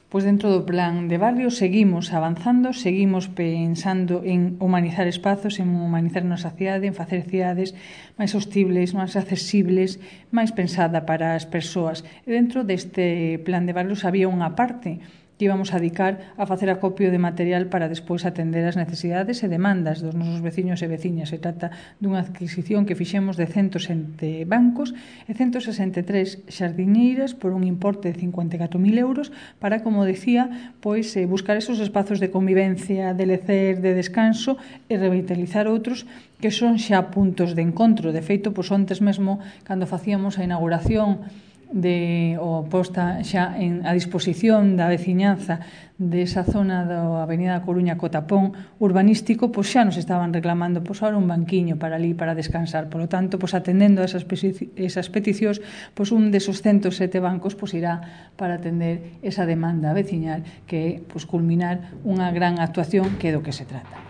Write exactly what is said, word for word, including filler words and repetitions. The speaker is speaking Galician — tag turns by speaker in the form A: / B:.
A: Pois dentro do plan de barrio seguimos avanzando, seguimos pensando en humanizar espazos, en humanizar a nosa cidade, en facer cidades máis sostibles, máis accesibles, máis pensada para as persoas. E dentro deste plan de barrios había unha parte que íbamos a dedicar a facer acopio de material para despois atender as necesidades e demandas dos nosos veciños e veciñas. Se trata dunha adquisición que fixemos de ciento sete bancos e ciento sesenta e tres xardiñeiras por un importe de cincuenta e catro mil euros para, como decía, pois eh, buscar esos espazos de convivencia, de lecer, de descanso e revitalizar outros que son xa puntos de encontro. De feito, pois ontes mesmo, cando facíamos a inauguración de o posta xa en a disposición da veciñanza desa zona da Avenida da Coruña co tapón urbanístico, pois xa nos estaban reclamando pois ahora un banquiño para ali para descansar. Por lo tanto, pois atendendo a esas, esas peticións, pois un desos ciento sete bancos pois irá para atender esa demanda veciñal que é pois culminar unha gran actuación que é do que se trata.